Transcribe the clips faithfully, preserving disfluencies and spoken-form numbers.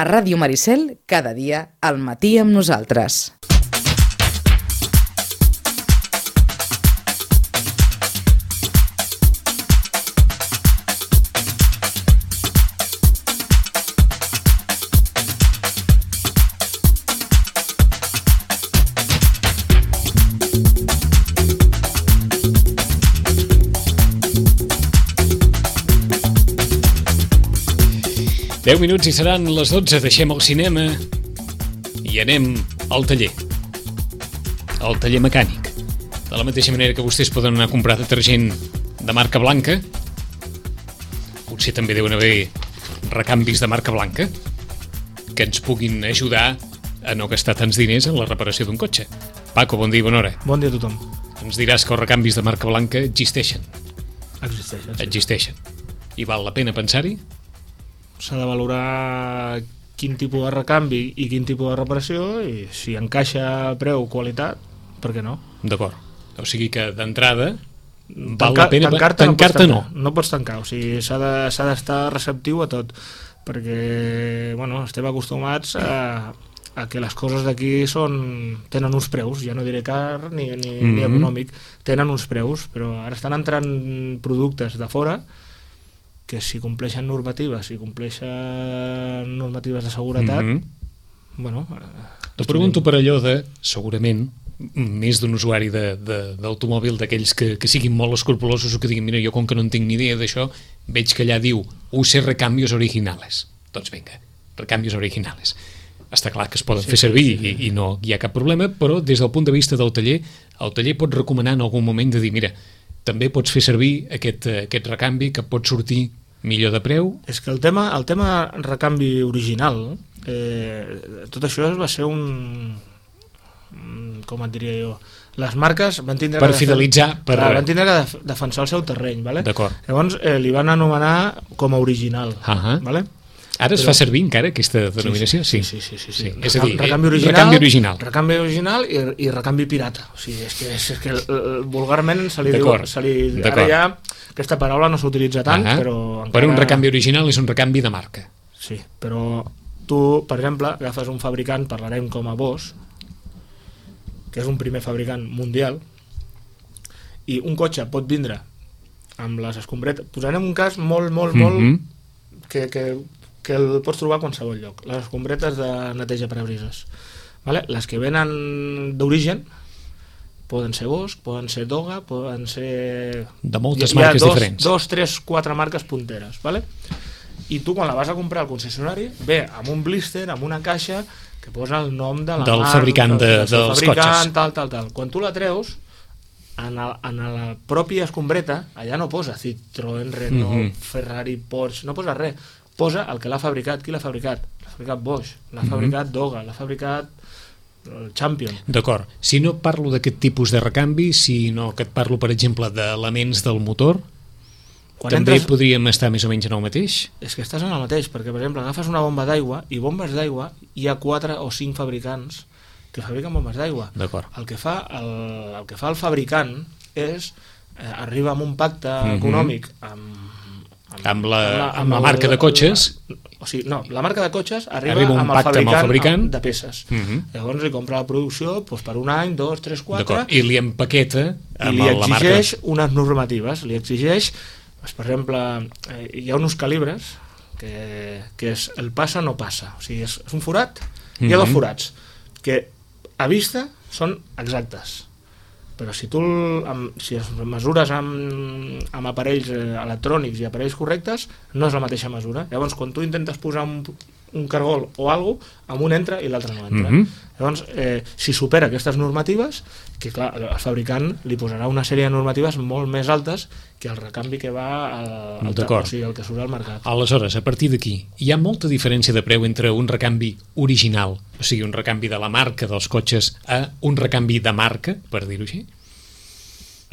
A Ràdio Maricel, cada dia al matí amb nosaltres. deu minuts i seran les dotze, deixem el cinema i anem al taller, al taller mecànic. De la mateixa manera que vostès poden anar a comprar detergent de marca blanca, potser també deuen haver recanvis de marca blanca que ens puguin ajudar a no gastar tants diners en la reparació d'un cotxe. Paco, bon dia i bona hora. Bon dia a tothom. Ens diràs que els recanvis de marca blanca existeixen. Existeixen, sí. Existeixen. I val la pena pensar-hi? S'ha de valorar quin tipus de recanvi i quin tipus de reparació, i si encaixa preu, qualitat, per què no? D'acord. O sigui que d'entrada val Tanca, la pena tancar-te, tancar-te no, no. No pots tancar, o sigui, s'ha de, s'ha d'estar receptiu a tot, perquè bueno, estem acostumats a, a que les coses d'aquí són, tenen uns preus, ja no diré car ni, ni, mm-hmm. ni econòmic, tenen uns preus, però ara estan entrant productes de fora que si compleixen normatives, si compleixen normatives de seguretat, mm-hmm. bueno... T'ho pregunto per allò de, segurament, més d'un usuari de, de, d'automòbil, d'aquells que, que siguin molt escrupulosos o que diguin, mira, jo com que no en tinc ni idea d'això, veig que allà diu, use recambios originales. Doncs vinga, recambios originales. Està clar que es poden sí, fer servir sí, sí. I, i no hi ha cap problema, però des del punt de vista del taller, el taller pot recomanar en algun moment de dir, mira, també pots fer servir aquest, aquest recanvi que pot sortir millor de preu. És que el tema, el tema recanvi original, eh, tot això va ser un... com et diria jo... Les marques van tindre per que... fidelitzar... Per... Clar, van tindre que def- defensar el seu terreny, ¿vale? D'acord. Llavors eh, li van anomenar com a original, uh-huh. ¿vale? Ara es Però... fa servir encara aquesta denominació? Sí, sí, sí. sí, sí, sí. sí. És a dir, recanvi original, recanvi original. Recanvi original i, i recanvi pirata. O sigui, és que, és que el, el, vulgarment se li diu... Se li, ara ja aquesta paraula no s'utilitza tant, uh-huh. però... Encara... Però un recanvi original és un recanvi de marca. Sí, però tu, per exemple, agafes un fabricant, parlarem com a Bosch, que és un primer fabricant mundial, i un cotxe pot vindre amb les escombretes... Posarem un cas molt, molt, molt... Mm-hmm. que... que que el pots trobar a qualsevol lloc, les escombretes de neteja parabrises, vale? Les que venen d'origen poden ser Bosch, poden ser Doga, poden ser... de moltes marques dos, diferents. Dos, tres, quatre marques punteres, vale? I tu quan la vas a comprar al concessionari ve amb un blister, amb una caixa que posa el nom de la del marca, fabricant de, del dels fabricant, cotxes. Tal, tal, tal. Quan tu la treus, en, el, en la pròpia escombreta, allà no posa Citroën, Renault, mm-hmm. Ferrari, Porsche, no posa res. Posa el que l'ha fabricat. Qui l'ha fabricat? L'ha fabricat Bosch, l'ha mm-hmm. fabricat Doga, l'ha fabricat el Champion. D'acord. Si no parlo d'aquest tipus de recanvi, sinó que et parlo, per exemple, d'elements del motor, quan també entres... podríem estar més o menys en el mateix? És que estàs en el mateix, perquè, per exemple, agafes una bomba d'aigua i bombes d'aigua, hi ha quatre o cinc fabricants que fabriquen bombes d'aigua. D'acord. El que fa el, el, que fa el fabricant és, eh, arriba amb un pacte mm-hmm. econòmic amb Amb, amb, la, amb, la, amb la marca de cotxes, la, o sigui, no, la marca de cotxes arriba, arriba amb, el fabricant, amb el fabricant de peces. Uh-huh. Llavors li compra la producció doncs, per un any, dos, tres, quatre, i li empaqueta amb i li la marca. exigeix unes normatives, li exigeix, doncs, per exemple, eh, hi ha uns calibres que, que és el passa no passa, o sigui, és, és un forat, uh-huh. hi ha dos forats que a vista són exactes, però si tu amb, si es mesures amb, amb aparells eh, electrònics i aparells correctes, no és la mateixa mesura. Llavors, quan tu intentes posar un, un cargol o alguna cosa, amb un entra i l'altre no entra. Mm-hmm. Llavors, eh, si supera aquestes normatives, que clar, el fabricant li posarà una sèrie de normatives molt més altes que el recanvi que va al, al o sigui, el que surt al mercat. Aleshores, a partir d'aquí, hi ha molta diferència de preu entre un recanvi original, o sigui, un recanvi de la marca dels cotxes, a un recanvi de marca, per dir-ho així?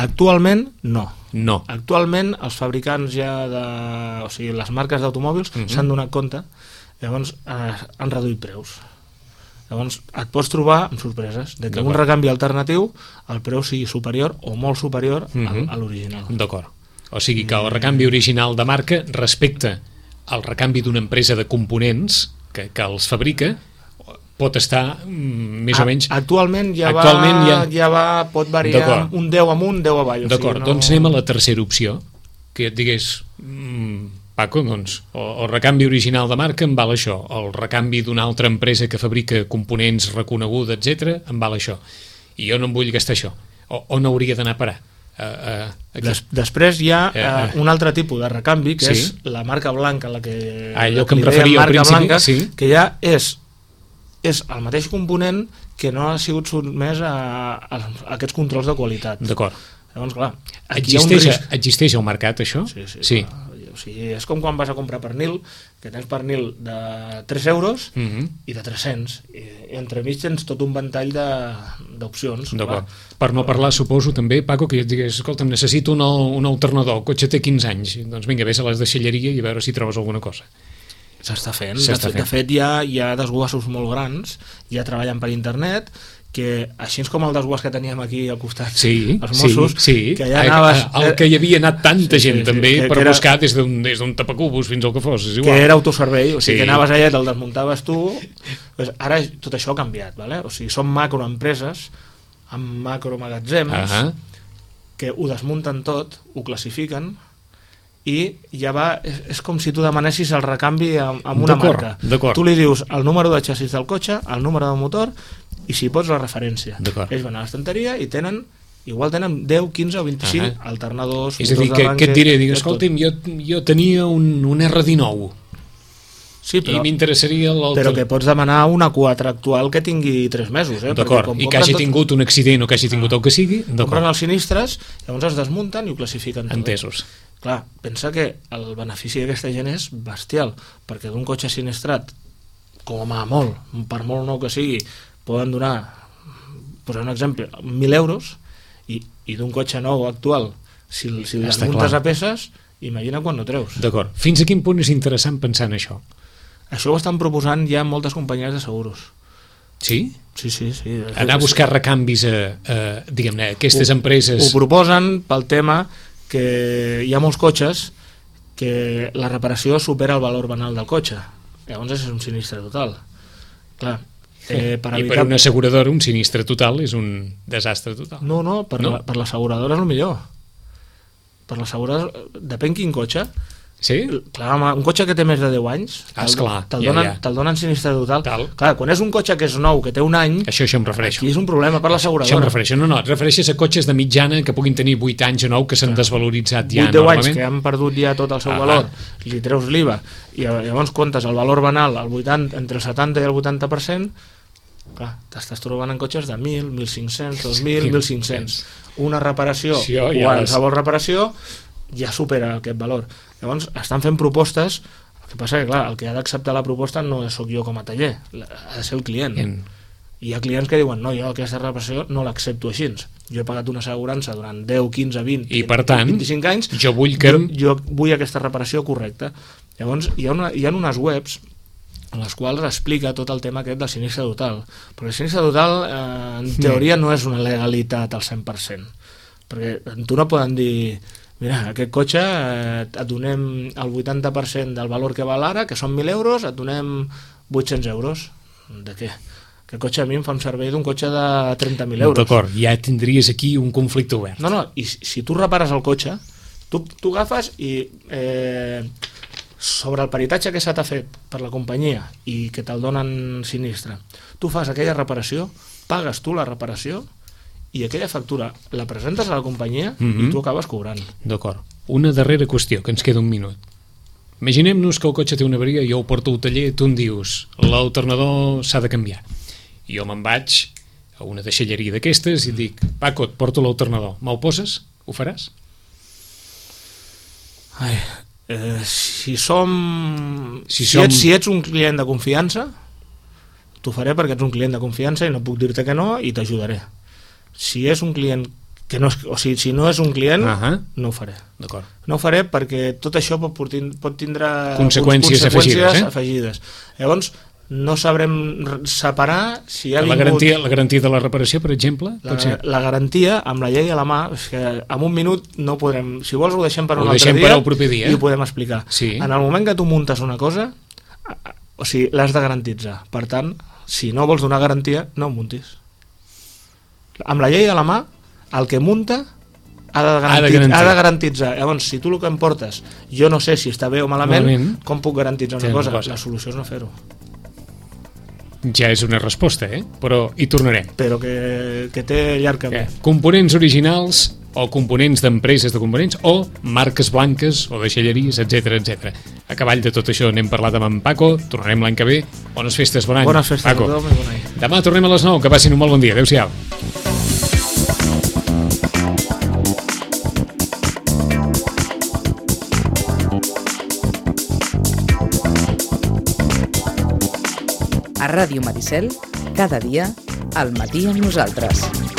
Actualment, no. No. Actualment, els fabricants ja de... O sigui, les marques d'automòbils mm-hmm. s'han donat compte, llavors eh, han reduït preus. Llavors et pots trobar amb sorpreses de que un recanvi alternatiu el preu sigui superior o molt superior mm-hmm. a, a l'original. D'acord. O sigui que el recanvi original de marca respecte al recanvi d'una empresa de components que, que els fabrica pot estar mm, més a, o menys... Actualment ja actualment va, ja... ja va, pot variar un deu amunt, deu avall. D'acord, o sigui, no... doncs anem a la tercera opció, que et digués, mm, Paco, doncs, el, el recanvi original de marca em val això, el recanvi d'una altra empresa que fabrica components reconeguda, etcètera, em val això. I jo no em vull gastar això. O, on hauria d'anar a parar? Uh, uh, Des, després hi ha uh, uh, un altre tipus de recanvi, que sí? és la marca blanca, la que, ah, allò la que em referia al principi, blanca, sí? que ja és és el mateix component que no ha sigut sotmès a, a, a aquests controls de qualitat. D'acord. Llavors, clar, existeix, existeix al mercat, això? Sí, sí. sí. Clar. O sigui, és com quan vas a comprar pernil, que tens pernil de tres euros mm-hmm. i de tres-cents. I, i entremig tens tot un ventall d'opcions. D'acord. Per no parlar, suposo, també, Paco, que et digués, escolta, necessito un, un alternador, el cotxe té quinze anys. Doncs vinga, vés a les deixalleria i a veure si trobes alguna cosa. S'està fent. fent. De, de fet, hi ha, hi ha desguassos molt grans, ja treballen per internet, que així com el desguàs que teníem aquí al costat, sí, els Mossos, sí, sí. que ja anaves... El que hi havia anat tanta sí, gent, sí, també, sí, que, per que era, buscar des d'un des d'un tapacubos fins al que fos, és igual. Que era autoservei, o sigui, sí. que anaves allà, te'l desmuntaves tu... Pues ara tot això ha canviat, ¿vale? O sigui, són macroempreses, amb macromagatzems, uh-huh. que ho desmunten tot, ho classifiquen, i ja va, és, és com si tu demanessis el recanvi amb, amb una marca. Tu li dius el número de xassis del cotxe, el número del motor i si pots la referència. Ells van a l'estanteria i tenen, igual tenen deu, quinze o vint-i-cinc uh-huh. alternadors. És a dir, que, que et diré, dic, escolta'm, jo, jo tenia un, un erre dinou sí, però, i m'interessaria l'altre. Però que pots demanar una quatre actual que tingui tres mesos. Eh? D'acord, i que hagi tot... tingut un accident o que hagi tingut el que sigui. Compren els sinistres, llavors es desmunten i ho classifiquen tot. Entesos. Clar, pensa que el benefici d'aquesta gent és bestial, perquè d'un cotxe sinistrat, com a molt, per molt nou que sigui, poden donar, posar un exemple, mil euros, i, i d'un cotxe nou actual, si, si les muntes a peces, imagina quan no treus. D'acord. Fins a quin punt és interessant pensar en això? Això ho estan proposant ja moltes companyies de seguros. Sí? Sí, sí, sí. Anar a buscar recanvis a, a diguem-ne, aquestes ho, empreses... Ho proposen pel tema que hi ha molts cotxes que la reparació supera el valor banal del cotxe. Llavors és un sinistre total. Clar, eh, per I evitar... per una asseguradora un sinistre total és un desastre total. No, no, per, no? La, per l'asseguradora és el millor. Per l'asseguradora, depèn quin cotxe. Sí? Clar, home, un cotxe que té més de deu anys ah, esclar, te'l ja, donen, ja. te donen sinistre total. Tal. Clar, quan és un cotxe que és nou, que té un any, això, això em refereixo. Aquí és un problema per l'asseguradora. Això em refereixo. No, no, et refereixes a cotxes de mitjana que puguin tenir vuit anys o nou que s'han desvaloritzat ja vuit deu enormement. anys que han perdut ja tot el seu ah, valor, li treus l'I V A i llavors comptes el valor banal al vuitanta, entre el setanta i el vuitanta per cent, clar, t'estàs trobant en cotxes de mil, mil cinc-cents, dos mil, mil cinc-cents. Una reparació, sí, ja qualsevol les... reparació, ja supera aquest valor. Llavors estan fent propostes, el que passa que clar, el que ha d'acceptar la proposta no sóc jo com a taller, ha de ser el client. En... I hi ha clients que diuen, no, jo aquesta reparació no l'accepto així. Jo he pagat una assegurança durant deu, quinze, vint, I per tant, vint-i-cinc anys, jo vull, que... jo, jo vull aquesta reparació correcta. Llavors hi ha, una, hi ha unes webs en les quals explica tot el tema aquest del sinistre total. Perquè el sinistre total, eh, en teoria, no és una legalitat al cent per cent. Perquè tu no poden dir... Mira, aquest cotxe eh, et donem el vuitanta per cent del valor que val ara, que són mil euros, et donem vuit-cents euros. De què? Aquest cotxe a mi em fa un servei d'un cotxe de trenta mil euros. D'acord, ja tindries aquí un conflicte obert. No, no, i si, si tu repares el cotxe, tu, tu agafes i eh, sobre el peritatge que se t'ha fet per la companyia i que te'l donen sinistre, tu fas aquella reparació, pagues tu la reparació, i aquella factura la presentes a la companyia mm-hmm. i tu acabes cobrant. D'acord. Una darrera qüestió, que ens queda un minut. Imaginem-nos que el cotxe té una avaria, jo ho porto al taller, tu em dius l'alternador s'ha de canviar. I jo me'n vaig a una deixalleria d'aquestes i dic, Paco, et porto l'alternador, me'l poses? Ho faràs? Ai, eh, si som... Si, si, som... ets, si ets un client de confiança, t'ho faré perquè ets un client de confiança i no puc dir-te que no i t'ajudaré. Si és un client que no és, o sigui, si no és un client, uh-huh. no ho faré. D'acord. No ho faré perquè tot això pot, pot tindre conseqüències, conseqüències afegides, eh? afegides. Llavors, no sabrem separar si ha la vingut... Garantia, la garantia de la reparació, per exemple? La, la garantia, amb la llei a la mà, és que en un minut no podrem... Si vols ho deixem per ho un altre deixem dia, per al proper dia i ho podem explicar. Sí. En el moment que tu muntes una cosa, O sigui, l'has de garantitzar. Per tant, si no vols donar garantia, no ho muntis. Amb la llei a la mà, el que munta ha de, ha, de ha de garantitzar. Llavors, si tu el que em portes, jo no sé si està bé o malament, malament. Com puc garantitzar una cosa? una cosa? La solució és no fer-ho. Ja és una resposta, eh? Però hi tornarem. Però que, que té llarg camí. Eh, components originals o components d'empreses de components o marques blanques o deixalleries, etcètera, etcètera. A cavall de tot això n'hem parlat amb en Paco, tornarem l'any que ve. Bones festes, bon any. Bones festes, Paco. Tothom, bon any. Demà tornem a les nou, que passin un molt bon dia. Adéu-siau. A Ràdio Maricel, cada dia, al matí amb nosaltres.